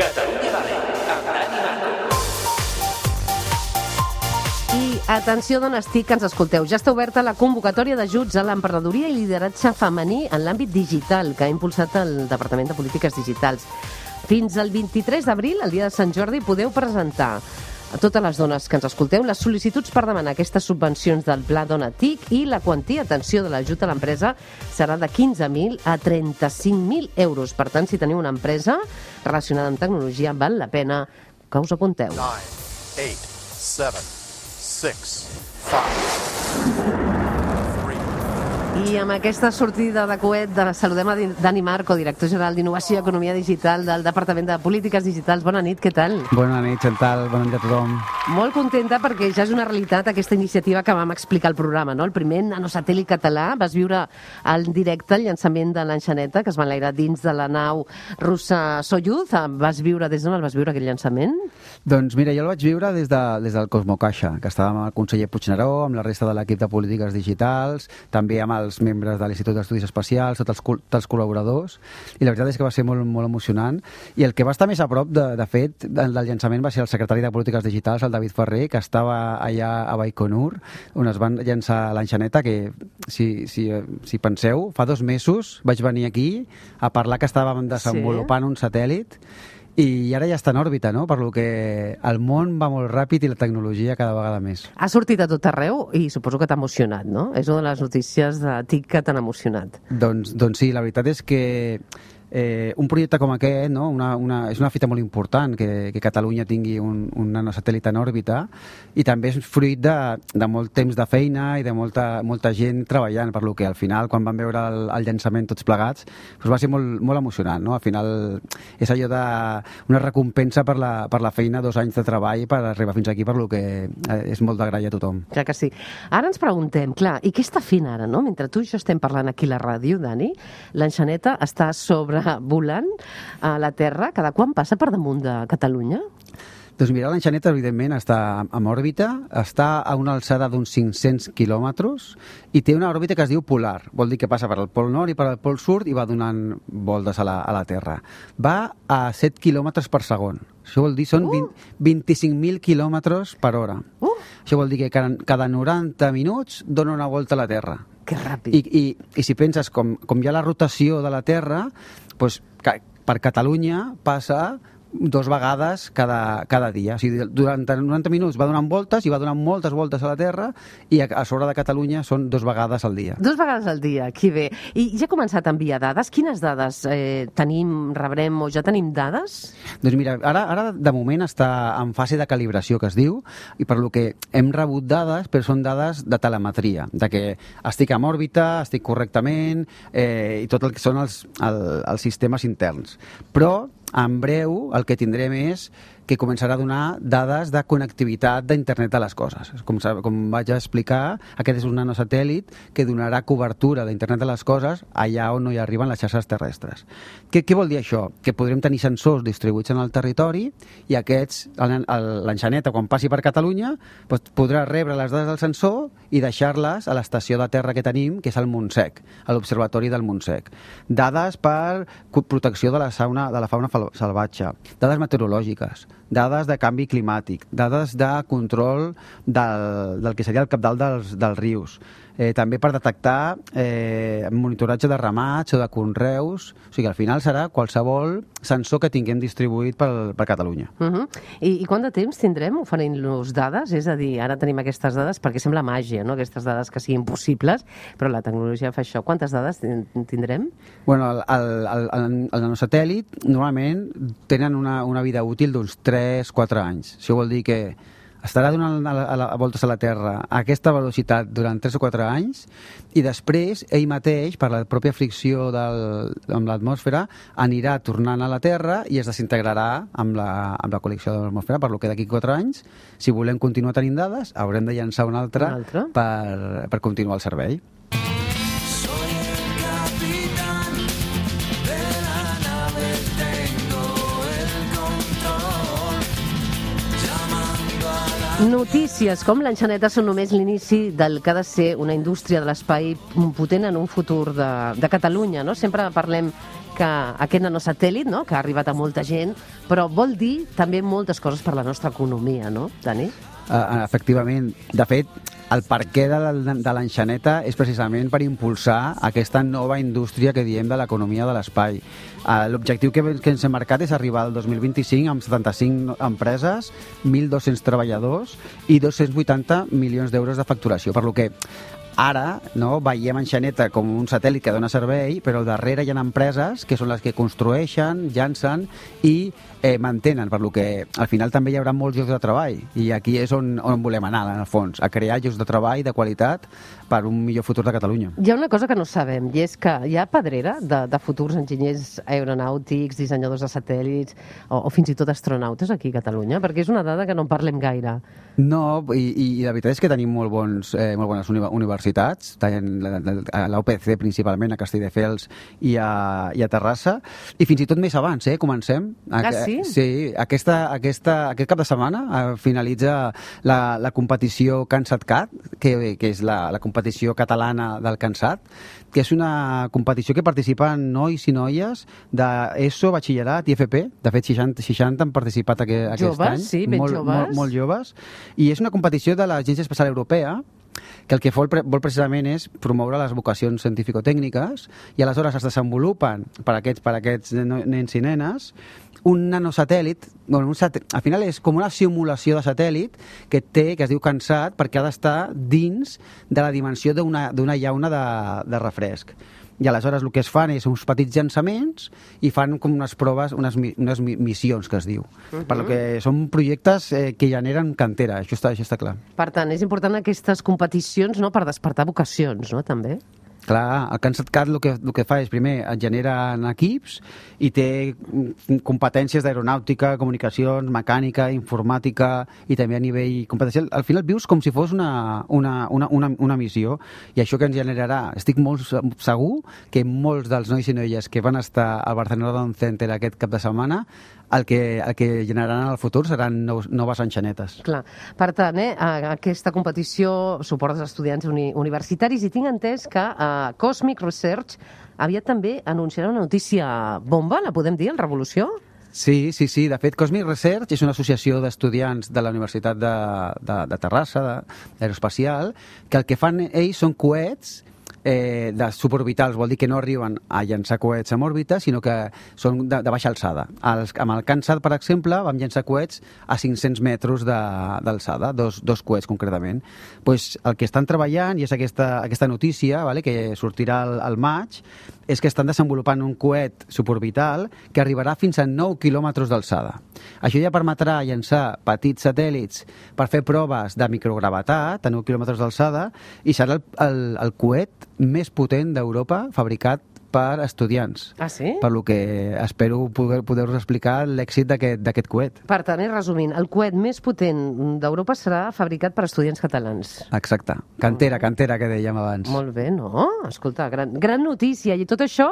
Catalunya Vale, amb Dani Marco. I atenció, dones TIC, que ens escolteu. Ja està oberta la convocatòria d'ajuts a l'emprenedoria i lideratge femení en l'àmbit digital que ha impulsat el Departament de Polítiques Digitals. Fins al 23 d'abril, el dia de Sant Jordi, podeu presentar a totes les dones que ens escolteu les sol·licituds per demanar aquestes subvencions del Pla Dona TIC, i la quantia, atenció, de l'ajut a l'empresa serà de 15.000 a 35.000 euros. Per tant, si teniu una empresa relacionada amb tecnologia, val la pena que us apunteu. 9, 8, 7, 6, 5, 4, 3. I amb aquesta sortida de coet saludem a Dani Marco, director general d'Innovació i Economia Digital del Departament de Polítiques Digitals. Bona nit, què tal? Bona nit, Chantal, bona nit a tothom. Molt contenta perquè ja és una realitat aquesta iniciativa que vam explicar al programa, no? El primer nanosatèl·lit català. Vas viure en directe el llançament de l'enxaneta, que es va enlairar dins de la nau russa Soyuz. Vas viure, des d'on el vas viure, aquell llançament? Doncs mira, jo el vaig viure des del Cosmocaixa, que estàvem amb el conseller Puigneró, amb la resta de l'equip de Polítiques Digitals, també amb els membres de l'Institut d'Estudis Espacials, tots els col·laboradors, i la veritat és que va ser molt, molt emocionant. I el que va estar més a prop, de fet, del llançament va ser el secretari de Polítiques Digitals, el David Ferrer, que estava allà a Baikonur, on es van llançar l'enxaneta, que, si penseu, fa 2 mesos vaig venir aquí a parlar que estàvem desenvolupant un satèl·lit, i ara ja està en òrbita, no? Per lo que el món va molt ràpid i la tecnologia cada vegada més. Ha sortit a tot arreu i suposo que t'ha emocionat, no? És una de les notícies de TIC que t'han emocionat. Doncs sí, la veritat és que un projecte com aquest, no? És una fita molt important que Catalunya tingui un nanosatèl·lit en òrbita, i també és fruit de molt temps de feina i de molta gent treballant, per lo que al final, quan vam veure el llançament tots plegats, doncs va ser molt, molt emocionant, no? Al final és allò una recompensa per la feina, 2 anys de treball per arribar fins aquí, per lo que és molt d'agrair a tothom. Clar que sí. Ara ens preguntem, clar, i què està fent ara, no? Mentre tu i jo estem parlant aquí a la ràdio, Dani, l'enxaneta està volant a la Terra. Cada quan passa per damunt de Catalunya? Doncs mira, l'enxaneta, evidentment, està en òrbita, està a una alçada d'uns 500 quilòmetres i té una òrbita que es diu polar. Vol dir que passa per al pol nord i per al pol sud i va donant voltes a la Terra. Va a 7 quilòmetres per segon. Això vol dir són 25.000 quilòmetres per hora. Això vol dir que cada 90 minuts dona una volta a la Terra. Que ràpid. I si penses com hi ha la rotació de la Terra, doncs per Catalunya passa 2 vegades cada dia. O sigui, durant 90 minuts va donant voltes i va donant moltes voltes a la Terra, i a sobre de Catalunya són 2 vegades al dia. 2 vegades al dia, que bé. I ja ha començat a enviar dades? Quines dades rebrem o ja tenim dades? Doncs mira, ara de moment està en fase de calibració, que es diu, i per lo que hem rebut dades, però són dades de telemetria, de que estic en òrbita, estic correctament, i tot el que són els sistemes interns. Però en breu el que tindrem és que començarà a donar dades de connectivitat d'internet de les coses. Com vaig explicar, aquest és un nanosatèl·lit que donarà cobertura d'internet de les coses allà on no hi arriben les xarxes terrestres. Què vol dir això? Que podrem tenir sensors distribuïts en el territori, i aquests, l'enxaneta, quan passi per Catalunya, podrà rebre les dades del sensor i deixar-les a l'estació de terra que tenim, que és el Montsec, a l'Observatori del Montsec. Dades per protecció de la fauna salvatge, dades meteorològiques, dades de canvi climàtic, dades de control del que seria el cabal dels rius, també per detectar monitoratge de ramats o de conreus. O sigui, al final serà qualsevol sensor que tinguem distribuït per Catalunya. I quant de temps tindrem oferint-nos dades? És a dir, ara tenim aquestes dades perquè sembla màgia, no? Aquestes dades que siguin possibles, però la tecnologia fa això. Quantes dades tindrem? Bueno, el nanosatèl·lit normalment tenen una vida útil d'uns 3-4 anys. Això vol dir que estarà donant voltes a la Terra a aquesta velocitat durant 3 o 4 anys, i després ell mateix, per la pròpia fricció amb l'atmosfera, anirà tornant a la Terra i es desintegrarà amb la col·lecció de l'atmosfera, per lo que d'aquí 4 anys, si volem continuar tenint dades, haurem de llançar una altra per continuar el servei. Notícies com l'enxaneta són només l'inici del que ha de ser una indústria de l'espai potent en un futur de Catalunya, no? Sempre parlem que que aquest nanosatèl·lit, no?, que ha arribat a molta gent, però vol dir també moltes coses per la nostra economia, no, Dani? Efectivament. De fet, el perquè de l'enxaneta és precisament per impulsar aquesta nova indústria que diem de l'economia de l'espai. L'objectiu que ens hem marcat és arribar al 2025 amb 75 empreses, 1.200 treballadors i 280 milions d'euros de facturació, per lo que ara veiem enxaneta com un satèl·lit que dona servei, però al darrere hi ha empreses que són les que construeixen, llancen i mantenen, per lo que al final també hi haurà molts llocs de treball i aquí és on volem anar, en el fons, a crear llocs de treball de qualitat per un millor futur de Catalunya. Hi ha una cosa que no sabem, i és que hi ha pedrera de futurs enginyers aeronàutics, dissenyadors de satèl·lits o fins i tot astronautes aquí a Catalunya, perquè és una dada que no en parlem gaire. No, i la veritat és que tenim molt bones universitats, a l'UPC principalment, a Castelldefels i a Terrassa, i fins i tot més abans, comencem. Sí? Sí, aquest cap de setmana finalitza la competició CANSAT-CAT, que és la competició catalana del CANSAT, que és una competició que participen nois i noies d'ESO, batxillerat i FP. De fet, 60 han participat aquest joves, any. Sí, ben joves. Molt joves. I és una competició de l'Agència Espacial Europea que el que vol precisament és promoure les vocacions científico-tècniques i aleshores es desenvolupen per aquests nens i nenes un nanosatèl·lit, al final és com una simulació de satèl·lit que es diu CANSAT perquè ha d'estar dins de la dimensió d'una llauna de refresc. I aleshores el que es fan és uns petits llançaments i fan com unes proves, unes missions, que es diu. Per lo que són projectes que generen cantera, això està clar. Per tant, és important aquestes competicions, no?, per despertar vocacions, no?, també. Clar, el CANSAT-CAT el que fa és, primer, et generen equips i té competències d'aeronàutica, comunicacions, mecànica, informàtica i també a nivell competencial. Al final vius com si fos una missió i això que ens generarà, estic molt segur que molts dels nois i noies que van estar al Barcelona Down Center aquest cap de setmana el que generaran en el futur seran noves enxanetes. Clar. Per tant, aquesta competició suporta els estudiants universitaris i tinc entès que Cosmic Research aviat també anunciarà una notícia bomba, la podem dir, en Revolució? Sí. De fet, Cosmic Research és una associació d'estudiants de la Universitat de Terrassa, d'aeroespacial, que el que fan ells són coets de suborbitals, vol dir que no arriben a llançar coets en òrbita, sinó que són de baixa alçada. Amb el CANSAT, per exemple, vam llançar coets a 500 metres d'alçada, dos coets concretament. Pues el que estan treballant, i és aquesta notícia, que sortirà al maig, és que estan desenvolupant un coet suborbital que arribarà fins a 9 quilòmetres d'alçada. Això ja permetrà llançar petits satèl·lits per fer proves de microgravetat a 9 quilòmetres d'alçada i serà el coet més potent d'Europa fabricat per estudiants. Ah, sí? Per lo que espero poder-vos explicar l'èxit d'aquest coet. Per tant, resumint, el coet més potent d'Europa serà fabricat per estudiants catalans. Exacte. Cantera, que dèiem abans. Molt bé, no? Escolta, gran notícia. I tot això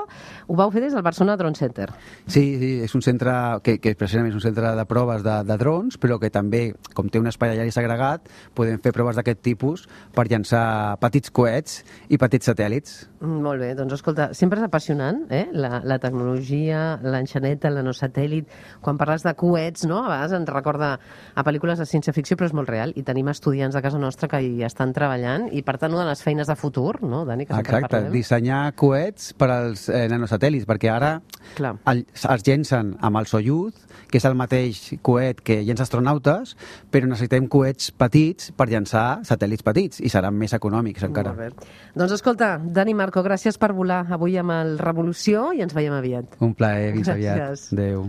ho vau fer des del Barcelona Drone Center. Sí, és un centre que precisament és un centre de proves de drons, però que també, com té un espai allà segregat, podem fer proves d'aquest tipus per llançar petits coets i petits satèl·lits. Molt bé, doncs escolta, sempre és apassionant, la tecnologia, l'enxaneta, el nanosatèl·lit. Quan parles de coets, no? A vegades ens recorda a pel·lícules de ciència-ficció, però és molt real. I tenim estudiants a casa nostra que hi estan treballant i, per tant, una de les feines de futur, no, Dani, que sempre parlem. Exacte, dissenyar coets per als nanosatèl·lits, perquè ara es llencen amb el Soyuz, que és el mateix coet que llença astronautes, però necessitem coets petits per llançar satèl·lits petits i seran més econòmics encara. Molt bé. Doncs escolta, Dani Marco, gràcies per volar avui amb el Revolució i ens veiem aviat. Un plaer, fins aviat. Gràcies. Adéu.